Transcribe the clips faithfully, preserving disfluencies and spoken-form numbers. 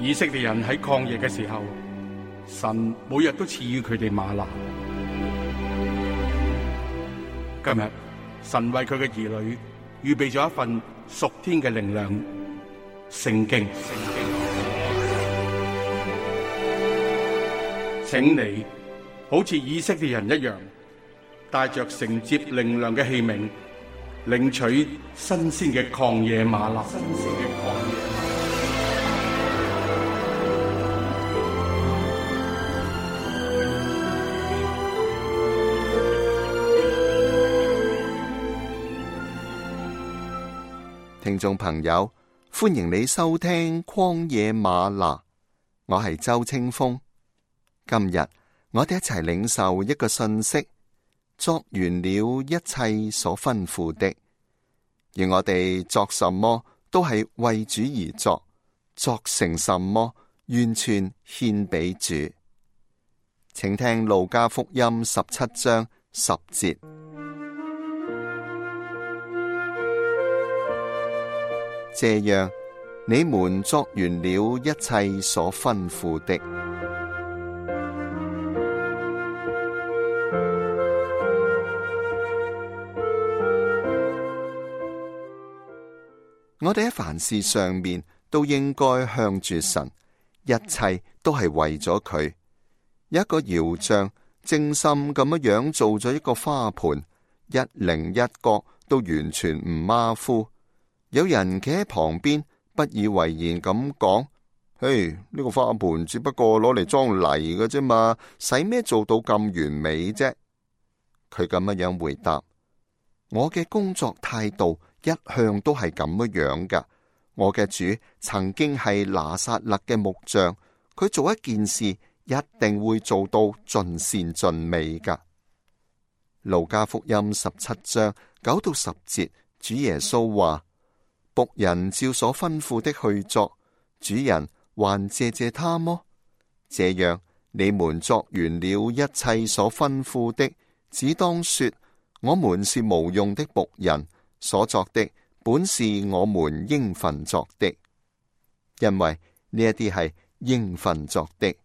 以色列人喺曠野嘅時候，神每日都賜予佢哋嗎哪。今日神為佢嘅兒女預備咗一份屬天嘅靈糧——聖經。請你好似以色列人一樣，帶着承接靈糧嘅器皿，領取新鮮嘅曠野嗎哪。新鮮嘅曠野嗎哪。聽眾朋友，歡迎你收聽曠野嗎哪，我係周清風。今日我哋一齊領受一個信息，作完了一切所吩咐的，而我哋作什麼都係為主而作，作成什麼完全獻俾主。請聽路加福音十七章十節。這樣，你們作完了一切所吩咐的。我哋喺凡事上面都應該向住神，一切都係為咗佢。一個窯匠精心咁樣樣做咗一個花盆，一稜一角都完全唔馬虎。有人企喺旁邊，不以為然咁講：嘿，呢個花盆只不過攞嚟裝泥嘅啫嘛，使咩做到咁完美啫？佢咁樣樣回答：我嘅工作態度一向都係咁樣樣噶。我嘅主曾經係拿撒勒嘅木匠，佢做一件事一定會做到盡善盡美噶。路加福音十七章九到十節，主耶穌話：僕人照所吩咐的去作，主人還謝謝他麼？這樣，你們作完了一切所吩咐的，只當說：我們是無用的僕人，所作的本是我們應份作的。因為呢一啲係應份作的，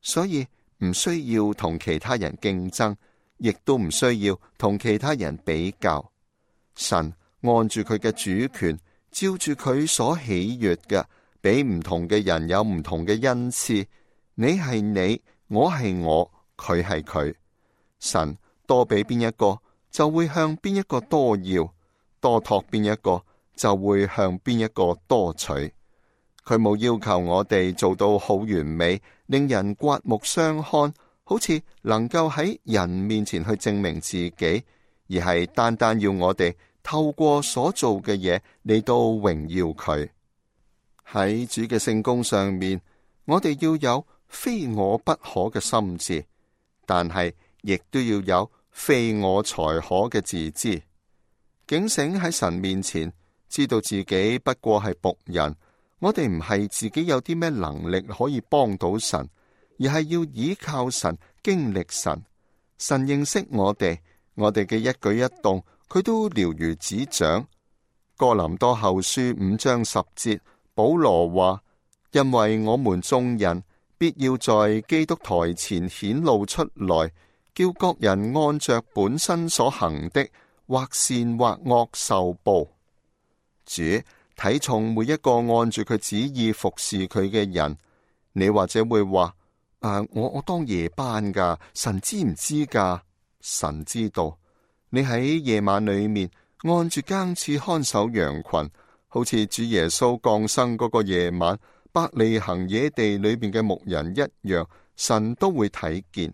所以唔需要同其他人競爭，亦都唔需要同其他人比較。神按住佢嘅主權，照住佢所喜悅嘅，俾唔同嘅人有唔同嘅恩賜。你係你，我係我，佢係佢。神多俾邊一個，就會向邊一個多要；多託邊一個，就會向邊一個多取。佢冇要求我哋做到好完美，令人刮目相看，好似能夠喺人面前去證明自己，而係單單要我哋透過所做嘅嘢嚟到榮耀佢。喺主嘅聖工上面，我哋要有非我不可嘅心志，但係亦都要有非我才可嘅自知。警醒喺神面前，知道自己不過係僕人。我哋唔係自己有啲咩能力可以幫到神，而係要依靠神，經歷神。神認識我哋，我哋嘅一舉一動，佢都了如指掌。哥林多後書五章十節，保羅話：因為我們眾人必要在基督台前顯露出來，叫各人按着本身所行的，或善或惡受報。主睇重每一個按住佢旨意服侍佢嘅人。你或者會話：啊，我我當夜班噶，神知唔知噶？神知道。你喺夜晚裏面按住更次看守羊群，好似主耶穌降生嗰個夜晚，伯利恆野地裏邊嘅牧人一樣，神都會睇見。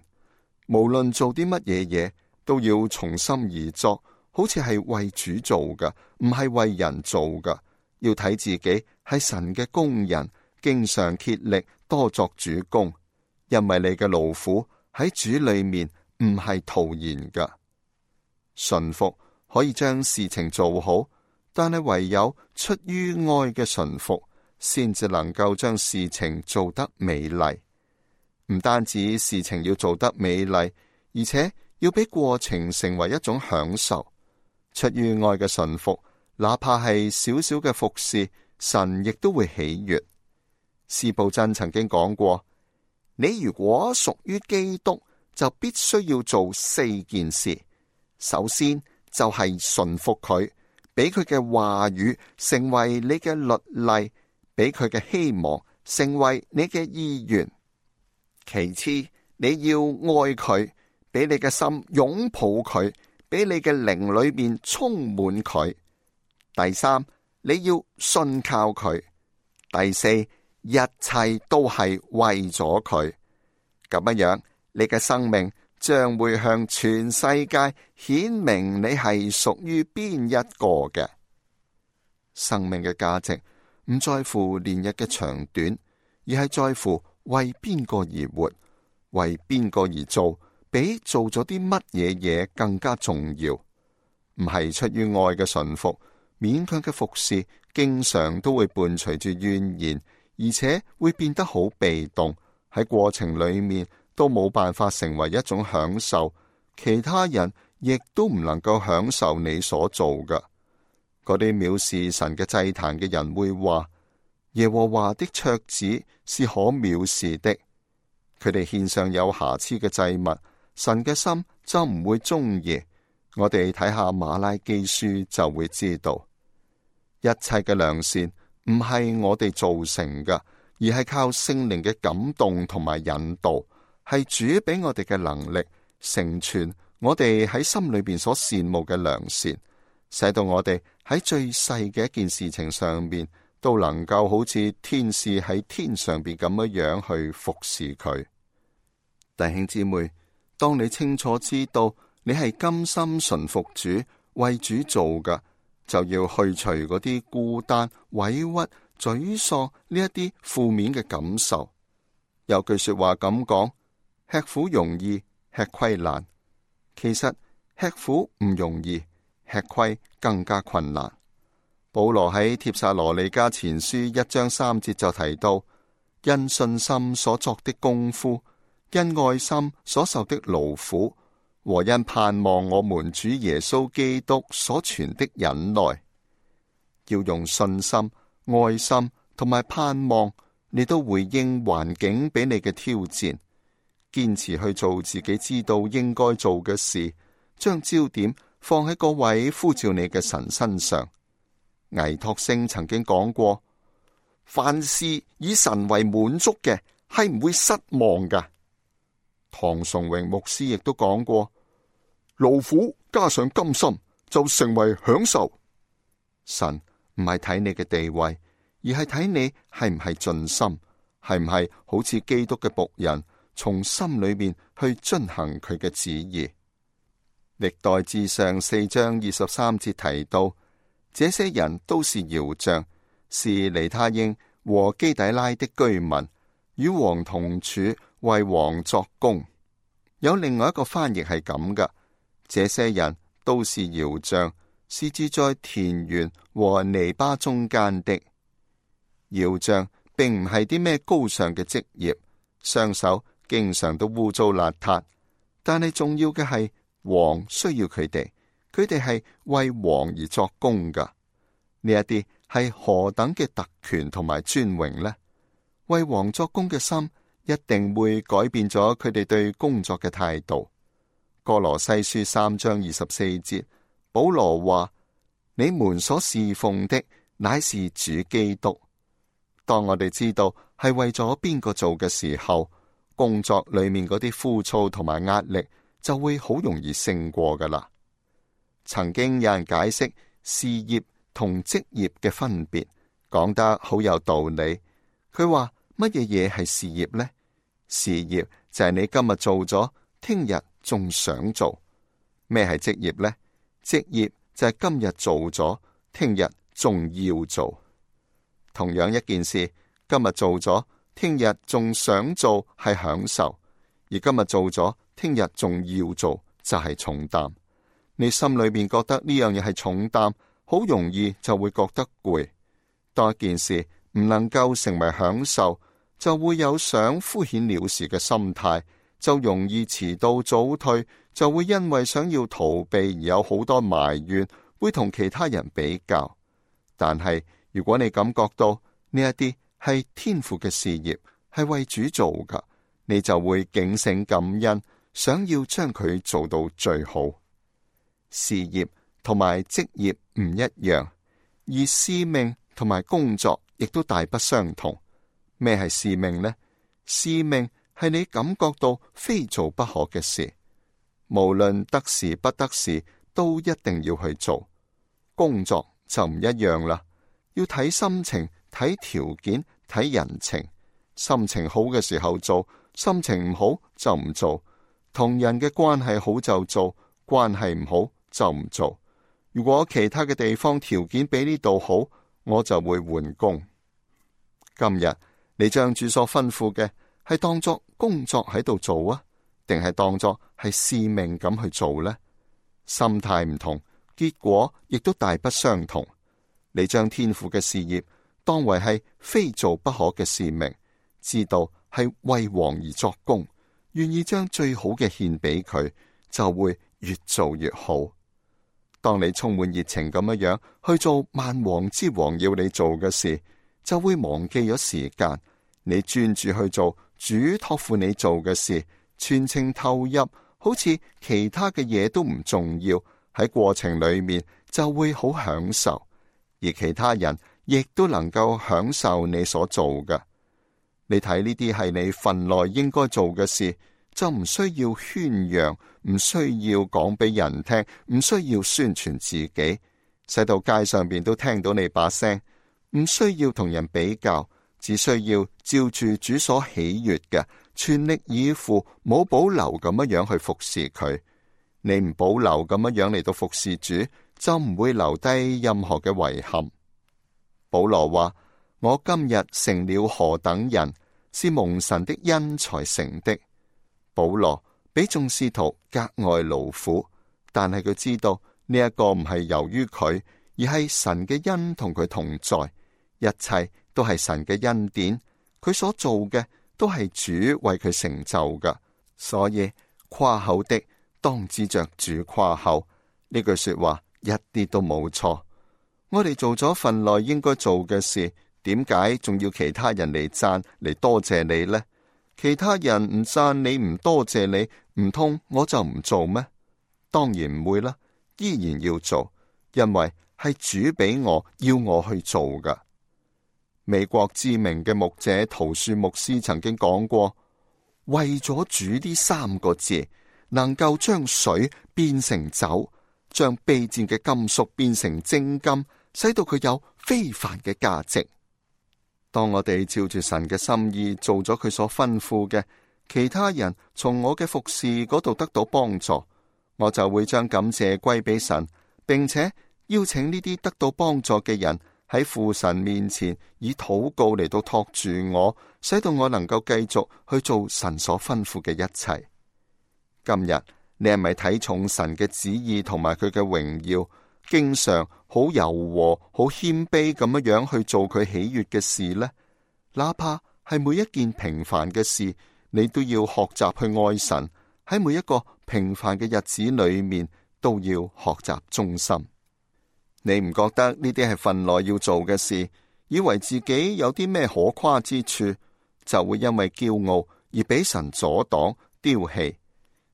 無論做啲乜嘢嘢，都要從心而作，好似係為主做噶，唔係為人做噶。要睇自己係神嘅工人，經常竭力多作主工，因為你嘅勞苦喺主裏面唔係徒然噶。順服可以將事情做好，但係唯有出於愛嘅順服，先至能夠將事情做得美麗。唔單止事情要做得美麗，而且要俾過程成為一種享受。出於愛嘅順服，哪怕係小小嘅服侍，神亦都會喜悅。司布真曾經講過，你如果屬於基督，就必須要做四件事。首先就係順服佢，俾佢嘅話語成為你嘅律例，俾佢嘅希望成為你嘅意願。其次，你要愛佢，俾你嘅心擁抱佢，俾你嘅靈裏面充滿佢。第三，你要信靠佢。第四，一切都係為咗佢。咁樣樣，你嘅生命將會向全世界顯明你係屬於邊一個嘅。生命嘅價值唔在乎年日嘅長短，而係在乎為邊個而活，為邊個而做，比做咗啲乜嘢嘢更加重要。唔係出於愛嘅順服，勉強嘅服侍，經常都會伴隨住怨言，而且會變得好被動，喺過程裏面都冇辦法成為一種享受，其他人亦都唔能夠享受你所做嘅。嗰啲藐視神嘅祭壇嘅人會話，耶和華的桌子是可藐視的。佢哋獻上有瑕疵嘅祭物，神嘅心就唔會中意。我哋睇下馬拉基書就會知道，一切嘅良善唔係我哋造成嘅，而係靠聖靈嘅感動同埋引導，係主俾我哋嘅能力，成全我哋喺心裏邊所羨慕嘅良善，使到我哋喺最細嘅一件事情上面都能夠好似天使喺天上邊咁樣樣去服侍佢。弟兄姊妹，當你清楚知道你係甘心順服主，為主做嘅，就要去除嗰啲孤單、委屈、沮喪呢一啲負面嘅感受。有句說話咁講，吃苦容易，吃虧難。其實吃苦唔容易，吃虧更加困難。保羅喺帖撒羅尼迦前書一章三節就提到，因信心所作的功夫，因愛心所受的勞苦，和因盼望我們主耶穌基督所存的忍耐，要用信心、愛心同埋盼望，你都回應環境俾你嘅挑戰，堅持去做自己知道應該做嘅事，將焦點放喺嗰位呼召你嘅神身上。倪柝聲曾經講過，凡事以神為滿足嘅，係唔會失望噶。唐崇榮牧師亦都講過，勞苦加上甘心就成為享受。神唔係睇你嘅地位，而係睇你係唔係盡心，係唔係好似基督嘅僕人，從心裏面去遵行佢嘅旨意。歷代志上四章二十三節提到，這些人都是窯匠，是尼他英和基底拉的居民，與王同處，為王作工。有另外一個翻譯係咁噶，這些人都是窯匠，是住在田園和籬笆中間的。窯匠並唔係啲咩高尚嘅職業，雙手經常都污糟邋遢，但係重要嘅係王需要佢哋，佢哋係為王而作工噶。呢一啲係何等嘅特權同埋尊榮呢？為王作工嘅心一定會改變咗佢哋對工作嘅態度。歌羅西書三章二十四節，保羅話：你們所侍奉的乃是主基督。當我哋知道係為咗邊個做嘅時候，工作裏面嗰啲枯燥同埋壓力就會好容易勝過噶啦。曾經有人解釋事業同職業嘅分別，講得好有道理。佢話乜嘢嘢係事業呢？事業就係你今日做咗，聽日仲想做。咩係職業呢？職業就係今日做咗，聽日仲要做。同樣一件事，今日做咗，聽日仲想做係享受；而今日做咗，聽日仲要做就係重擔。你心裏面覺得呢樣嘢係重擔，好容易就會覺得攰。當一件事唔能夠成為享受，就會有想敷衍了事嘅心態，就容易遲到早退，就會因為想要逃避而有好多埋怨，會同其他人比較。但係如果你感覺到呢一啲係天父嘅事業，係為主做噶，你就會警醒感恩，想要將佢做到最好。事業同埋職業唔一樣，而使命同埋工作亦都大不相同。咩係使命呢？使命係你感覺到非做不可嘅事，無論得時不得時，都一定要去做。工作就唔一樣啦，要睇心情、睇條件、睇人情。心情好嘅時候做，心情唔好就唔做。同人嘅關係好就做，關係唔好就唔做。如果其他嘅地方條件比呢度好，我就會換工。今日你將主所吩咐嘅係當作工作喺度做啊，定係當作係使命咁去做呢？心態唔同，結果亦都大不相同。你將天父嘅事業當為係非做不可嘅使命，知道係為王而作工，願意將最好嘅獻俾佢，就會越做越好。當你充滿熱情咁樣樣去做萬王之王要你做嘅事，就會忘記咗時間。你專注去做主託付你做嘅事，全程投入，好似其他嘅嘢都唔重要。喺過程裏面就會好享受，而其他人亦都能夠享受你所做嘅。你睇呢啲係你份內應該做嘅事，就唔需要宣揚，唔需要講俾人聽，唔需要宣傳自己，使到街上邊都聽到你把聲。唔需要同人比較，只需要照住主所喜悅嘅，全力以赴，冇保留咁樣樣去服侍佢。你唔保留咁樣樣嚟到服侍主，就唔會留低任何嘅遺憾。保羅話：我今日成了何等人，是蒙神的恩才成的。保羅比眾使徒格外勞苦，但係佢知道呢一個唔係由於佢，而係神嘅恩同佢同在，一切都係神嘅恩典。佢所做嘅都係主為佢成就嘅，所以誇口的當指着主誇口。呢句說話一啲都冇錯。我哋做咗份內應該做嘅事，點解仲要其他人嚟讚嚟多謝你呢？其他人唔讚你唔多謝你，唔通我就唔做咩？當然唔會啦，依然要做，因為係主俾我要我去做噶。美國知名嘅牧者陶恕牧師曾經講過，為咗主呢三個字，能夠將水變成酒，將卑賤嘅金屬變成精金，使到佢有非凡嘅價值。當我哋照住神嘅心意做咗佢所吩咐嘅，其他人從我嘅服侍嗰度得到幫助，我就會將感謝歸俾神，並且邀請呢啲得到幫助嘅人喺父神面前以禱告嚟到托住我，使到我能夠繼續去做神所吩咐嘅一切。今日你係咪睇重神嘅旨意同埋佢嘅榮耀，經常好柔和、好謙卑咁樣樣去做佢喜悅嘅事呢？哪怕係每一件平凡嘅事，你都要學習去愛神。喺每一個平凡嘅日子裏面，都要學習忠心。你唔覺得呢啲係份內要做嘅事，以為自己有啲咩可誇之處，就會因為驕傲而俾神阻擋丟棄。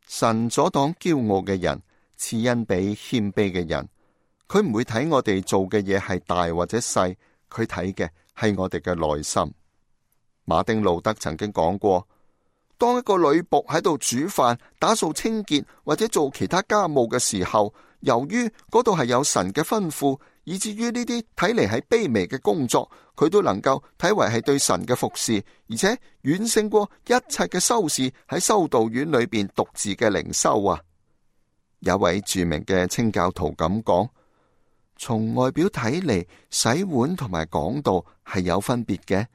神阻擋驕傲嘅人，賜恩俾謙卑嘅人。佢唔會睇我哋做嘅嘢係大或者細，佢睇嘅係我哋嘅內心。馬丁路德曾經講過，當一個女僕喺度煮飯、打掃清潔或者做其他家務嘅時候，由於嗰度係有神嘅吩咐，以至於呢啲睇嚟係卑微嘅工作，佢都能夠睇為係對神嘅服侍，而且遠勝過一切嘅修士喺修道院裏邊獨自嘅靈修啊！有位著名嘅清教徒咁講，從外表睇嚟，洗碗同埋講道係有分別嘅，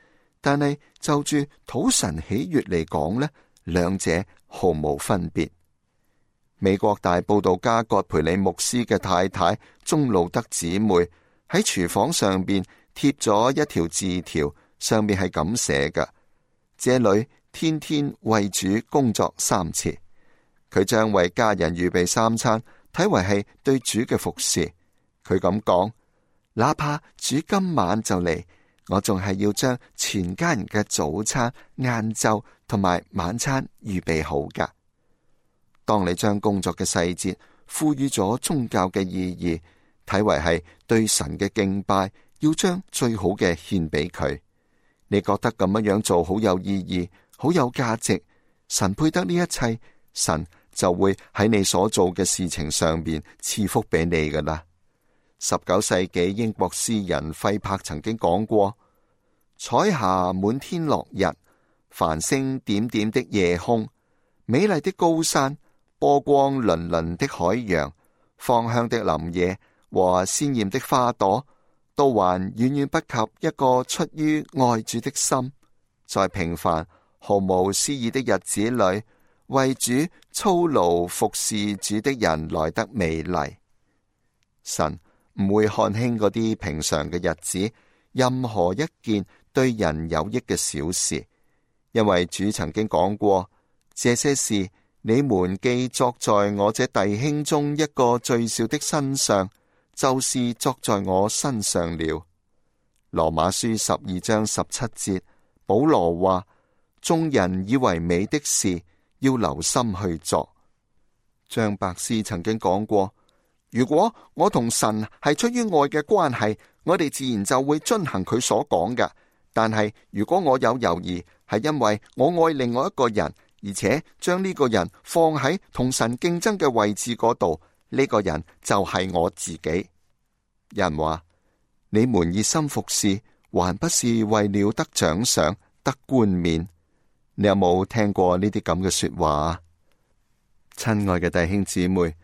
但係就住討神喜悅嚟講呢，兩者毫無分別。美國大佈道家葛培理牧師嘅太太鍾路德姊妹喺廚房上邊貼咗一條字條，上面係咁寫嘅：這裏天天為主工作三次。佢將為家人預備三餐睇為係對主嘅服侍。佢咁講，哪怕主今晚就嚟，我仲係要將全家人嘅早餐、晏晝同埋晚餐預備好噶。當你將工作嘅細節賦予咗宗教嘅意義，睇為係對神嘅敬拜，要將最好嘅獻俾佢，你覺得咁樣樣做好有意義、好有價值，神配得呢一切，神就會喺你所做嘅事情上邊賜福俾你噶啦。十九世紀英國詩人費柏曾經講過：彩霞滿天落日，繁星點點的夜空，美麗的高山，波光粼粼的海洋，芳香的林野和鮮艷的花朵，都還遠遠不及一個出於愛主的心，在平凡毫無詩意的日子裏，為主操勞服侍主的人來得美麗。神唔會看輕嗰啲平常嘅日子，任何一件對人有益嘅小事，因為主曾經講過：這些事你們既作在我這弟兄中一個最小的身上，就是作在我身上了。羅馬書十二章十七節，保羅話：眾人以為美的事，要留心去做。張伯斯曾經講過：如果我同神係出於愛嘅關係，我哋自然就會遵行佢所講嘅。但係如果我有猶豫，係因為我愛另外一個人，而且將呢個人放喺同神競爭嘅位置嗰度，呢個人就係我自己。人話：你們熱心服侍，還不是為了得獎賞、得冠冕？你有冇聽過呢啲咁嘅說話啊？親愛嘅弟兄姊妹，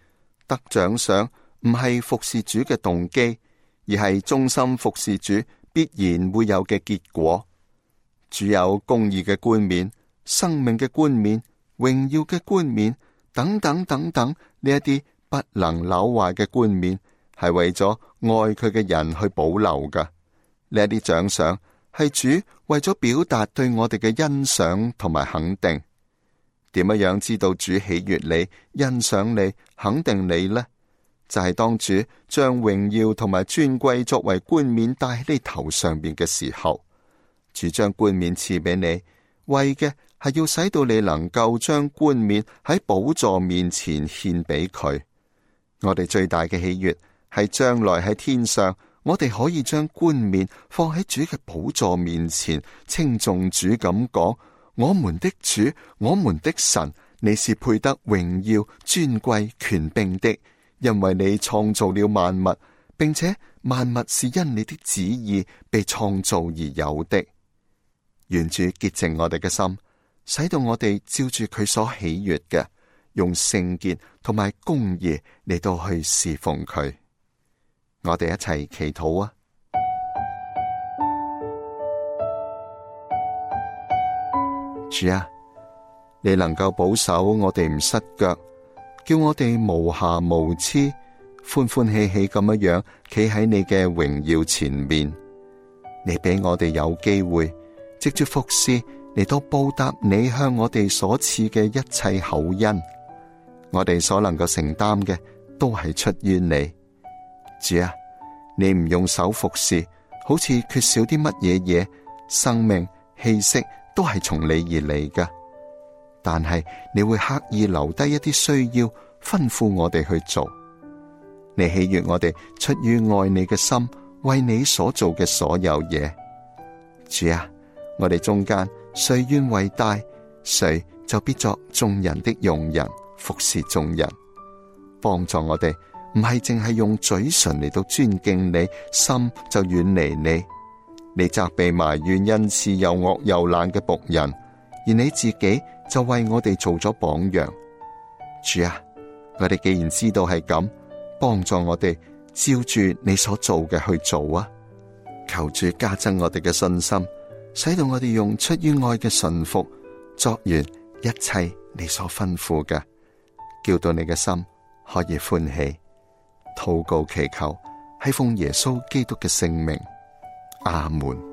得獎賞唔係服侍主嘅動機，而係忠心服侍主必然會有嘅結果。主有公義嘅冠冕、生命嘅冠冕、榮耀嘅冠冕等等等等，呢一啲不能朽壞嘅冠冕，係為咗愛佢嘅人去保留噶。呢一啲獎賞係主為咗表達對我哋嘅欣賞同埋肯定。點樣樣知道主喜悅你、欣賞你、肯定你呢？就係、是、當主將榮耀同埋尊貴作為冠冕戴喺你頭上邊嘅時候，主將冠冕賜俾你，為嘅係要使到你能夠將冠冕喺寶座面前獻俾佢。我哋最大嘅喜悅係將來喺天上，我哋可以將冠冕放喺主嘅寶座面前，稱頌主咁講：我們的主，我們的神，你是配得榮耀、尊貴、權柄的，因為你創造了萬物，並且萬物是因你的旨意被創造而有的。願主潔淨我哋嘅心，使到我哋照住佢所喜悅嘅，用聖潔同埋公義嚟到去侍奉佢。我哋一齊祈禱啊！主啊，你能夠保守我哋唔失腳，叫我哋無瑕無疵，歡歡喜喜咁樣樣企喺你嘅榮耀前面。你俾我哋有機會藉住服侍嚟到報答你向我哋所賜嘅一切厚恩。我哋所能夠承擔嘅都係出於你。主啊，你唔用手服侍，好似缺少啲乜嘢嘢，生命氣息都係從你而嚟㗎。但係你會刻意留低一啲需要，吩咐我哋去做。你喜悅我哋出於愛你嘅心，為你所做嘅所有嘢。主啊，我哋中間誰願為大，誰就必作眾人的用人，服侍眾人。幫助我哋唔係淨係用嘴唇嚟到尊敬你，心就遠離你。你責備埋怨恩賜又惡又懶嘅僕人，而你自己就為我哋做咗榜樣。主啊，我哋既然知道係咁，幫助我哋照住你所做嘅去做啊！求主加增我哋嘅信心，使到我哋用出於愛嘅順服，作完一切你所吩咐嘅，叫到你嘅心可以歡喜。禱告祈求，係奉耶穌基督嘅聖名，阿門。